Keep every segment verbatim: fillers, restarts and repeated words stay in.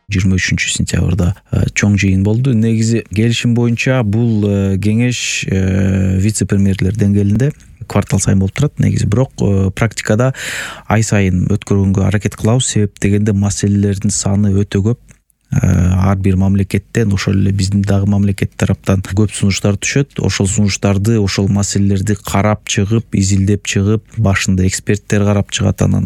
жыйырма үчүнчү сентябрда чоң жыйын болду. Негизи келишим боюнча бул кеңеш вице-премьерлер деңгээлинде квартал сайын болуп турат негизи, бирок практикада ай сайын өткөргөнгө аракет кылабыз. Себеп дегенде маселелердин саны өтө көп. Ар бир мамлекеттен, ошол эле биздин дагы мамлекет тараптан көп сунуштар түшөт. Ошол сунуштарды, ошол маселелерди карап чыгып, изилдеп чыгып, башында эксперттер карап чыгат, анан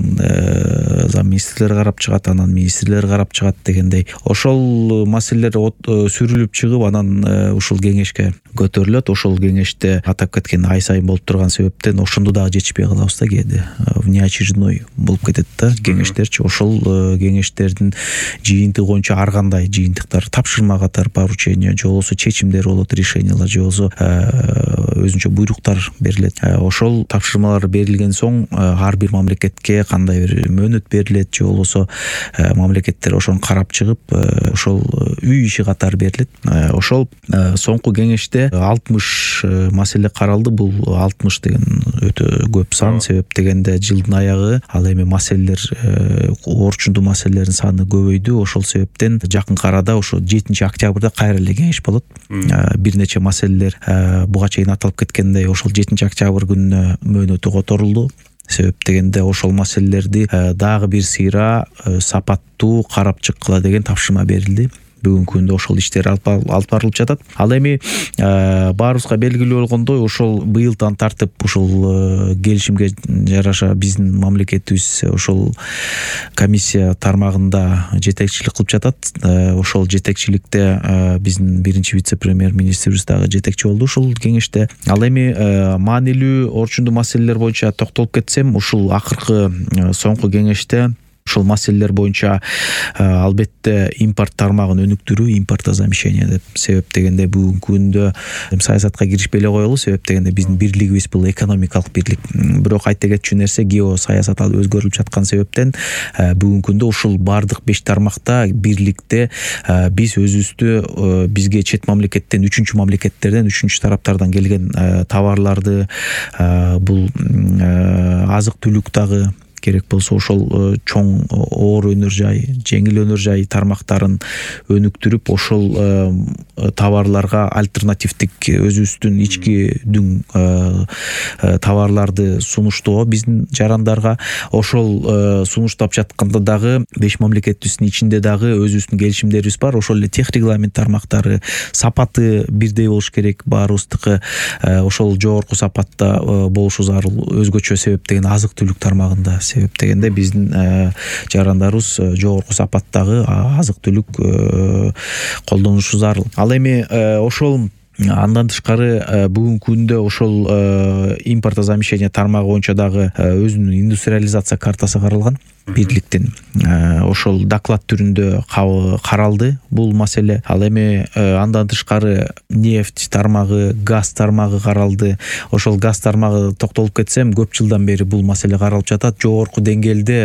зам министрлер карап чыгат, анан министрлер карап чыгат дегендей. Ошол маселелер сүрүлүп чыгып, анан ушул кеңешке көтөрүлөт. Ошол кеңеште атап кеткен ай сайын болуп турган себептен ошондо дагы жетишпей калабыз да, кээде внеочередной болуп кетет да кеңештерчи. Ошол кеңештердин жыйынтыгы боюнча ар кандай жыйынтыктар, тапшырма катары поручение, же болбосо чечимдер болот, решениялар, же болбосо өзүнчө буйруктар берилет. Ошол тапшырмалар берилген соң ар бир мамлекетке кандай бир мөөнөт берилет, же болбосо мамлекеттер ошону карап чыгып, ошол үй иши катары берилет. Ошол соңку кеңеште алтымыш маселе каралды. Бул алтымыш деген өтө көп сан. Себеп дегенде жылдын аягы ал эми маселелер, орчундуу маселелердин саны көбөйдү. Ошол себептен жакынкы арада ошо жетинчи октябрда кайра эле кеңеш болот. Бир нече маселелер буга чейин аталып кеткендей ошол жетинчи октябрь күнүнө мөөнөтү которулду. Себеп дегенде ошол маселелерди дагы бир сыйра сапаттуу карап чыккыла деген тапшырма берилди. Бүгүнкү күндө ошол иштер алып барылып жатат. Ал эми баарыбызга белгилүү болгондой, ошол быйылдан тартып ушул келишимге жараша биздин мамлекетибиз ошол комиссия тармагында жетекчилик кылып жатат. Ошол жетекчиликте биздин биринчи вице-премьер министрибиз дагы жетекчи болду ушул кеңеште. Ал эми маанилүү орчундуу маселелер боюнча токтолуп кетсем, ушул акыркы соңку кеңеште ошол маселелер боюнча албетте импорт тармагын өнүктүрүү, импортозамещение деп. Себеп дегенде бүгүнкү күндө саясатка киришпей эле коелу. Себеп дегенде биздин бирлигибиз бул экономикалык бирлик. Бирок айта кетчү нерсе, геосаясат ал өзгөрүлүп жаткан себептен бүгүнкү күндө ушул бардык беш тармакта бирликте биз өзүбүздү бизге чет мамлекеттен, үчүнчү мамлекеттерден, үчүнчү тараптардан келген товарларды, бул азык түлүк дагы керек болсо ошол чоң оор өнөр жай, жеңил өнөр жай тармактарын өнүктүрүп, ошол товарларга альтернативдик өзүбүздүн ички дүң товарларды сунуштоо биздин жарандарга. Ошол сунуштап жатканда дагы беш мамлекетибиздин ичинде дагы өзүбүздүн келишимдерибиз бар. Ошол эле тех регламент тармактары, сапаты бирдей болуш керек баарыбыздыкы. Ошол жогорку сапатта болушу зарыл. Өзгөчө себеп деген азык түлүк тармагында. Себеп дегенде биздин жарандарыбыз жогорку сапаттагы азык түлүк колдонушу зарыл. Ал эми ошол андан тышкары бүгүнкү күндө ошол импортозамещение тармагы боюнча дагы өзүнүн индустриализация картасы каралган бирликтин. Ошол доклад түрүндө каралды бул маселе. Ал эми андан тышкары нефть тармагы, газ тармагы каралды. Ошол газ тармагы токтолуп кетсем, көп жылдан бери бул маселе каралып жатат. Жогорку деңгээлде,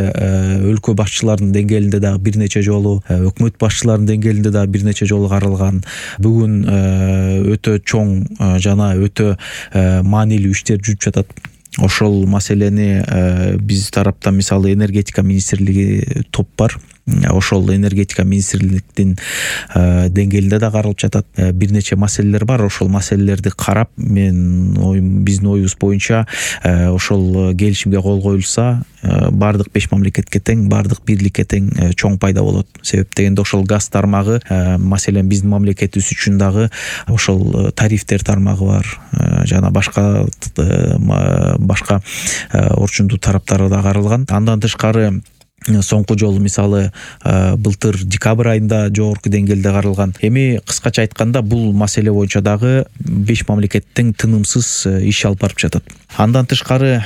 өлкө башчыларынын деңгээлинде дагы бир нече жолу, өкмөт башчыларынын деңгээлинде дагы бир нече жолу каралган. Бүгүн өтө чоң жана өтө маанилүү иштер жүрүп жатат. Ошол маселени биз тараптан мисалы энергетика министрлиги топ бар. Ошол энергетика министрликтин деңгээлинде да каралып жатат. Бир нече маселелер бар. Ошол маселелерди карап, мен оюм, биздин оюбуз боюнча ошол келишимге кол коюлса, бардык беш мамлекетке тең, бардык бирликке тең чоң пайда болот. Себеп дегенде ошол газ тармагы, маселен биздин мамлекетибиз үчүн дагы ошол тарифтер тармагы бар, жана башка башка орчундуу тараптары да каралган. Андан тышкары соңку жолу мисалы былтыр декабрь айында жогорку деңгээлде каралган. Эми кыскача айтканда бул маселе боюнча дагы беш мамлекеттин тынымсыз иш алып барып жатат. Андан тышкары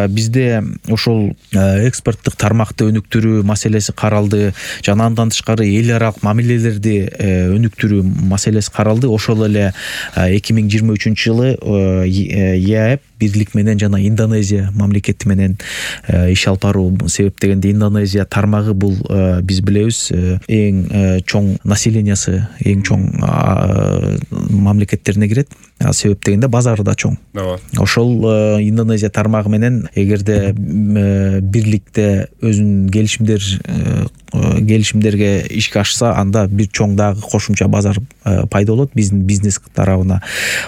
бизде ошол экспорттук тармакты өнүктүрүү маселеси каралды, жана андан тышкары эл аралык мамилелерди өнүктүрүү маселеси каралды. Ошол эле эки миң жыйырма үчүнчү жылы ЕАЭП бирлик менен жана Индонезия мамлекети менен иш алып баруу. Себеп дегенде Индонезия тармагы бул биз билебиз эң чоң населениясы, эң чоң мамлекеттерине кирет. Себеп дегенде базары да чоң. Ошол Индонезия тармагы менен эгерде бирликте өзүнүн келишимдер келишимдерге ишке ашса, анда бир чоң дагы кошумча базар пайда болот биздин бизнес тарабына.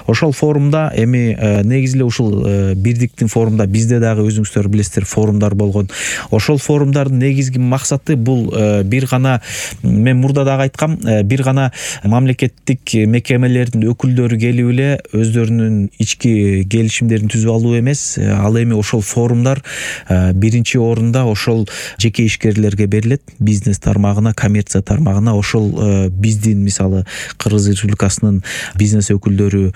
Ошол форумда эми негизи эле ушул бирдиктин форумда бизде дагы өзүңүздөр билесиздер форумдар болгон. Ошол форумдардын негизги максаты бул бир гана, мен мурда дагы айткам, бир гана мамлекеттик мекемелердин өкүлдөрү келип эле өздөрүнүн ички келишимдерин түзүп алуу эмес, ал эми ошол форумдар биринчи орунда ошол жеке ишкерлерге берилет, бизнес тармагына, коммерция тармагына. Ошол биздин мисалы Кыргыз Республикасынын бизнес өкүлдөрү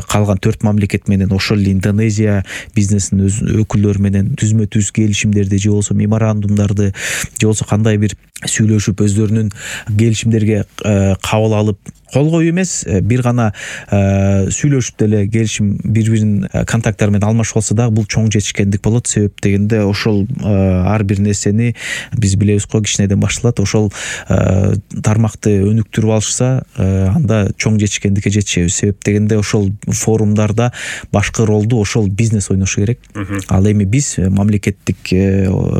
калган төрт мамлекет менен, ошол эле Индонезия бизнесинин өз өкүлдөрү менен түзмө-түз келишимдерди же болбосо меморандумдарды же болбосо кандай бир сүйлөшүп өздөрүнүн келишимдерге кабыл алып, кол коюу эмес, бир гана сүйлөшүп деле келишим бири биринин контакттары менен алмашып алса дагы бул чоң жетишкендик болот. Себеп дегенде ошол ар бир нерсени биз билебиз го, кичинеден башталат. Ошол тармакты өнүктүрүп алышса, анда чоң жетишкендикке жетишебиз. Себеп дегенде ошол форумдарда башкы ролду ошол бизнес ойношу керек. Ал эми биз мамлекеттик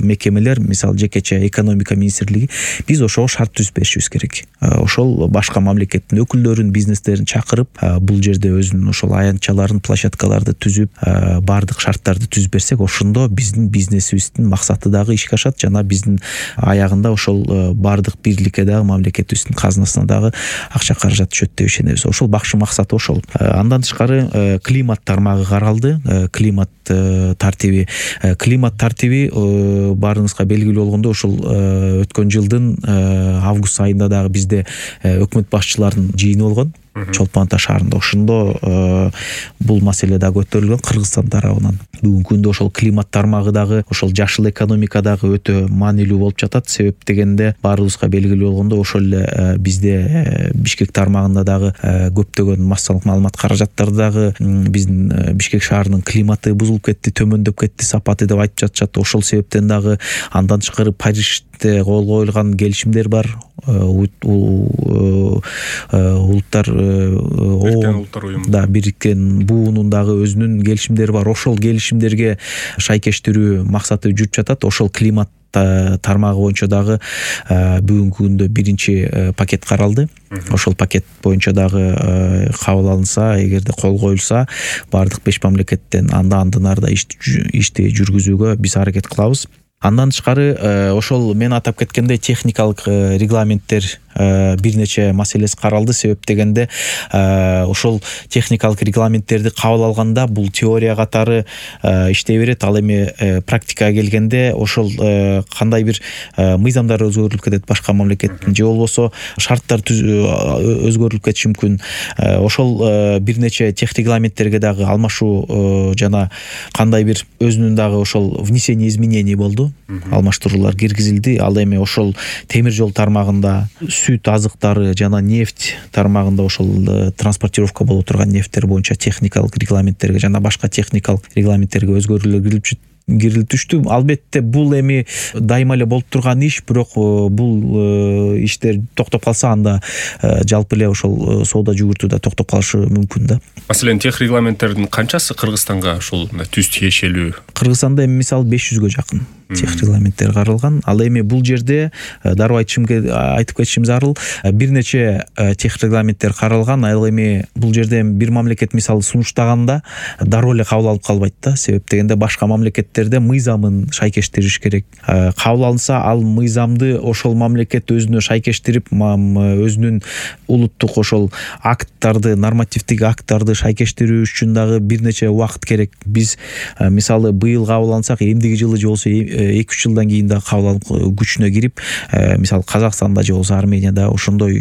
мекемелер, мисалы жекече экономика министрлиги, биз ошого шарт түзүп беришибиз керек. Ошол башка мамлекеттин өкүлдөрүн, бизнестерин чакырып, бул жерде өзүнүн ошол аянтчаларын, площадкаларды түзүп, баардык шарттарды түзүп берсек, ошондо биздин бизнесибиздин максаты дагы ишке ашат, жана биздин аягында ошол баардык бирликке дагы, мамлекетибиздин казынасына дагы акча каражат түшөт деп ишенебиз. Ошол бакшы максаты ошол. Андан тышкары климат тармагы каралды. Климат тартиби, климат тартиби баарыңызга белгилүү болгондой, ошол өткөн жылдын август айында дагы бизде өкмөт башчыларынын жыйыны болгон Чолпон Ата шаарында. Ошондо бул маселе да көтөрүлгөн Кыргызстан тарабынан. Бүгүнкү күндө ошол климат тармагы дагы, ошол жашыл экономика дагы өтө маанилүү болуп жатат. Себеп дегенде баарыбызга белгилүү болгондой, ошол эле бизде Бишкек тармагында дагы көптөгөн массалык маалымат каражаттары дагы биздин Бишкек шаарынын климаты бузулуп кетти, төмөндөп кетти сапаты деп айтып жатышат. Ошол себептен дагы андан тышкары Парижде кол коюлган келишимдер бар. Улуттар да Бириккен буунун дагы өзүнүн келишимдери бар. Ошол келишимдерге шайкештирүү максаты жүрүп жатат. Ошол климат тармагы боюнча дагы бүгүнкү күндө биринчи пакет каралды. Ошол пакет боюнча дагы кабыл алынса, эгерде кол коюлса, баардык беш мамлекеттен анда андан арда ишти жүргүзүүгө биз аракет кылабыз. Андан тышкары ошол мен атап кеткендей техникалык регламенттер бир нече маселеси каралды. Себеп дегенде ошол техникалык регламенттерди кабыл алганда бул теория катары иштей берет. Ал эми практикага келгенде ошол кандай бир мыйзамдар өзгөрүлүп кетет башка мамлекеттин, же болбосо шарттар өзгөрүлүп кетиши мүмкүн. Ошол бир нече тех регламенттерге дагы алмашуу жана кандай бир өзүнүн дагы ошол внесение изменений болду. Алмаштыруулар киргизилди. Ал эми ошол темир жол тармагында, сүт азыктары жана нефть тармагында ошол транспортировка боло турган нефттер боюнча техникалык регламенттерге жана башка техникалык регламенттерге өзгөрүүлөр кирилип кирилип түштү. Албетте бул эми дайыма эле болуп турган иш, бирок бул иштер токтоп калса, анда жалпы эле ошол соода жүгүртүү да токтоп калышы мүмкүн да. Маселен, тех регламенттердин канчасы Кыргызстанга ушул түз тиешелүү? Кыргызстанда эми мисалы беш жүзгө жакын тех регламенттер каралган. Ал эми бул жерде дароо айтышым айтып кетишим зарыл, бир нече тех регламенттер каралган. Ал эми бул жерде бир мамлекет мисалы сунуштаганда дароо эле кабыл алып калбайт да. Себеп дегенде башка мамлекеттерде мыйзамын шайкештириш керек. Кабыл алынса, ал мыйзамды ошол мамлекет өзүнө шайкештирип, өзүнүн улуттук ошол акттарды, нормативдик акттарды шайкештирүү үчүн дагы бир нече убакыт керек. Биз мисалы быйыл кабыл алсак, эмдиги жылы же болсо эки үч жылдан кийин да кабыл алып күчүнө кирип, мисалы Казакстанда же болсо Арменияда ошондой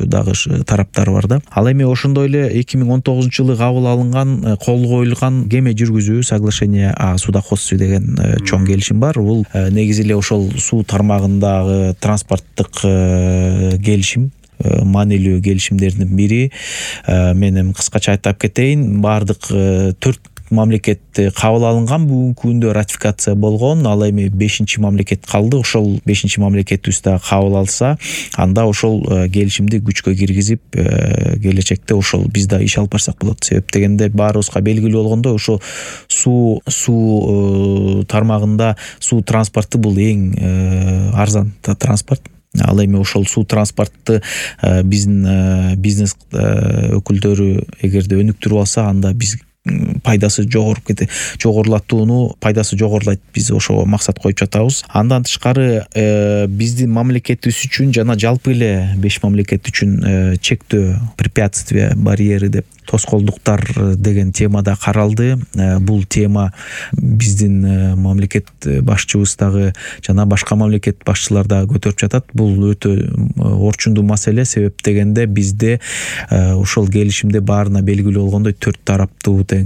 дагы тараптар бар да. Ал эми ошондой эле эки миң он тогузунчу жылы кабыл алынган, кол коюлган кеме жүргүзүү соглашение о судоходстве деген чоң келишим бар. Бул негизи эле ошол суу тармагындагы транспорттук келишим, маанилүү келишимдердин бири. Мен эми кыскача айтып кетейин, баардык төрт мамлекет кабыл алынган, бүгүнкү күндө ратификация болгон. Ал эми бешинчи мамлекет калды. Ошол бешинчи мамлекетибиз да кабыл алса, анда ошол келишимди күчкө киргизип, келечекте ошол биз да иш алып барсак болот. Себеп дегенде баарыбызга белгилүү болгондой, ошо суу суу тармагында суу транспорту бул эң арзан транспорт. Ал эми ошол суу транспорту биздин бизнес өкүлдөрү эгерде өнүктүрүп алса, анда биз пайдасы жогоруп кете жогорулатууну пайдасы жогорулайт. Биз ошого максат коюп жатабыз. Андан тышкары биздин мамлекетибиз үчүн жана жалпы эле беш мамлекет үчүн чектөө, препятствия, барьеры деп тоскоолдуктар деген темада каралды. Бул тема биздин мамлекет башчыбыз дагы жана башка мамлекет башчылар дагы көтөрүп жатат. Бул өтө орчундуу маселе. Себеп дегенде бизде ошол келишимде баарына белгилүү болгондой төрт тараптуу тең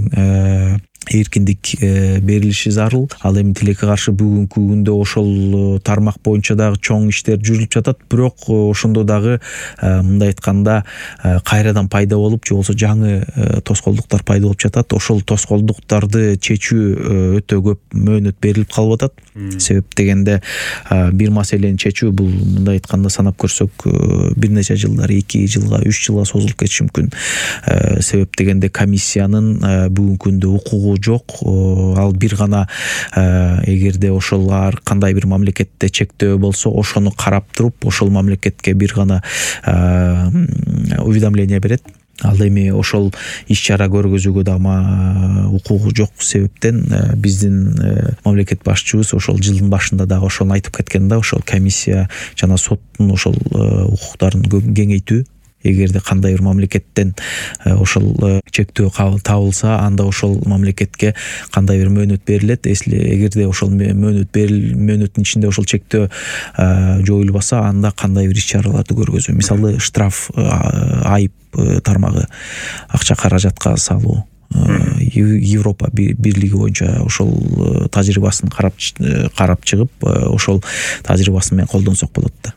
эркиндик берилиши зарыл. Ал эми тилекке каршы бүгүнкү күндө ошол тармак боюнча дагы чоң иштер жүрүлүп жатат. Бирок ошондо дагы мындай айтканда кайрадан пайда болуп, же болбосо жаңы тоскоолдуктар пайда болуп жатат. Ошол тоскоолдуктарды чечүү өтө көп мөөнөт берилип калып атат. Себеп дегенде бир маселени чечүү бул мындай айтканда санап көрсөк бир нече жылдар, эки жылга, үч жылга созулуп кетиши мүмкүн. Себеп дегенде комиссиянын бүгүнкү күндө укугу жок. Ал бир гана эгерде ошол ар кандай бир мамлекетте чектөө болсо, ошону карап туруп, ошол мамлекетке бир гана уведомление берет. Ал эми ошол иш-чара көргөзүүгө дагы укугу жок себептен биздин мамлекет башчыбыз ошол жылдын башында дагы ошону айтып кеткен да, ошол комиссия жана соттун ошол укуктарын кеңейтүү. Эгерде кандай бир мамлекеттен ошол чектөө табылса, анда ошол мамлекетке кандай бир мөөнөт берилет. Эсли эгерде ошол мөөнөт берил мөөнөттүн ичинде ошол чектөө жоюлбаса, анда кандай бир иш-чараларды көргөзүү. Мисалы, штраф, айып тармагы, акча каражатка салуу. Европа бирлиги боюнча ошол тажрыйбасын карап карап чыгып, ошол тажрыйбасы менен колдонсок болот да.